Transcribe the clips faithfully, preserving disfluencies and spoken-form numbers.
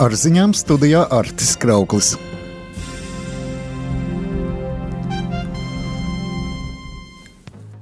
Ar ziņām studijā Artis Krauklis.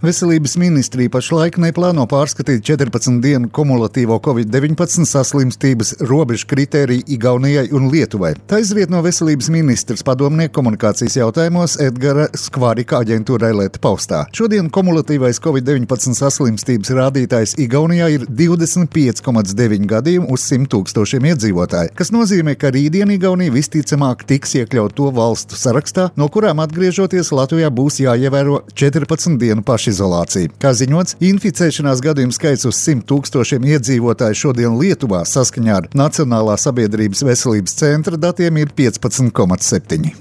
Veselības ministrija pašlaik neplāno pārskatīt četrpadsmit dienu kumulatīvo covid deviņpadsmit saslimstības robežu kritēriju Igaunijai un Lietuvai. Tā izriet no veselības ministrs padomnieka komunikācijas jautājumos Edgara Skvarika aģentūrai Leta paustā. Šodien kumulatīvais covid deviņpadsmit saslimstības rādītājs Igaunijā ir divdesmit pieci komats deviņi gadījumi uz simt tūkstošiem iedzīvotāju, kas nozīmē, ka rītdien Igaunija visticamāk tiks iekļaut to valstu sarakstā, no kurām atgriežoties Latvijā būs jāievēro četrpadsmit dienu paši izolācija. Kā ziņots, inficēšanās gadījumu skaits uz simt tūkstošiem iedzīvotāju šodien Lietuvā saskaņā ar Nacionālā sabiedrības veselības centra datiem ir piecpadsmit komats septiņi.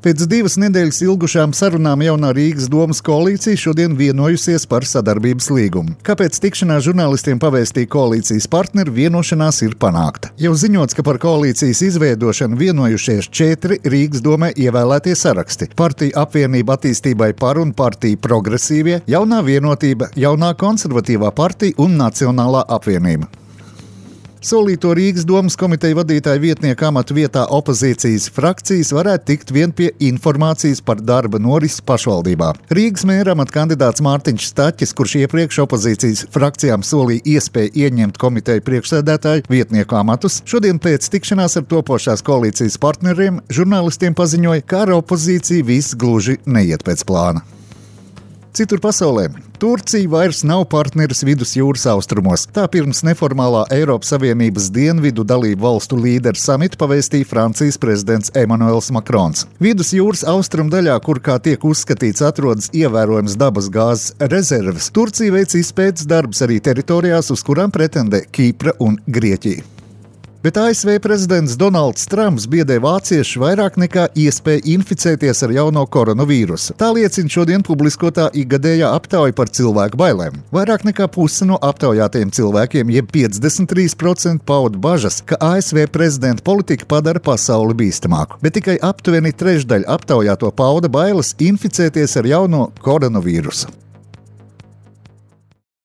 Pēc divas nedēļas ilgušām sarunām jaunā Rīgas domas koalīcija šodien vienojusies par sadarbības līgumu. Kāpēc tikšanās žurnālistiem pavēstīja koalīcijas partneri, vienošanās ir panākta. Jau ziņots, ka par koalīcijas izveidošanu vienojušies četri Rīgas domē ievēlētie saraksti – Partija apvienība attīstībai par un Partija progresīvie, Jaunā vienotība, Jaunā konservatīvā partija un Nacionālā apvienība. Solīto Rīgas domas komiteja vadītāja vietnieka amatu vietā opozīcijas frakcijas varētu tikt vien pie informācijas par darba norisi pašvaldībā. Rīgas mēra amata kandidāts Mārtiņš Staķis, kurš iepriekš opozīcijas frakcijām solīja iespēju ieņemt komiteju priekšsēdētāju vietnieku amatus, šodien pēc tikšanās ar topošās koalīcijas partneriem žurnālistiem paziņoja, ka ar opozīciju viss gluži neiet pēc plāna. Citur pasaulē. Turcija vairs nav partneris vidusjūras austrumos. Tā pirms neformālā Eiropas Savienības dienvidu dalību valstu līderu samita pavēstīja Francijas prezidents Emmanuels Macrons. Vidusjūras austrumu daļā, kur kā tiek uzskatīts atrodas ievērojams dabas gāzes rezerves, Turcija veic izpētes darbus arī teritorijās, uz kurām pretendē Kipra un Grieķija. Bet A S V prezidents Donalds Trumps biedē vāciešus vairāk nekā iespēja inficēties ar jauno koronavīrusu. Tā liecina šodien publiskotā ikgadējā aptauja par cilvēku bailēm. Vairāk nekā puse no aptaujātajiem cilvēkiem, jeb piecdesmit trīs procenti pauda bažas, ka A S V prezidenta politika padara pasauli bīstamāku. Bet tikai aptuveni trešdaļa aptaujāto pauda bailes inficēties ar jauno koronavīrusu.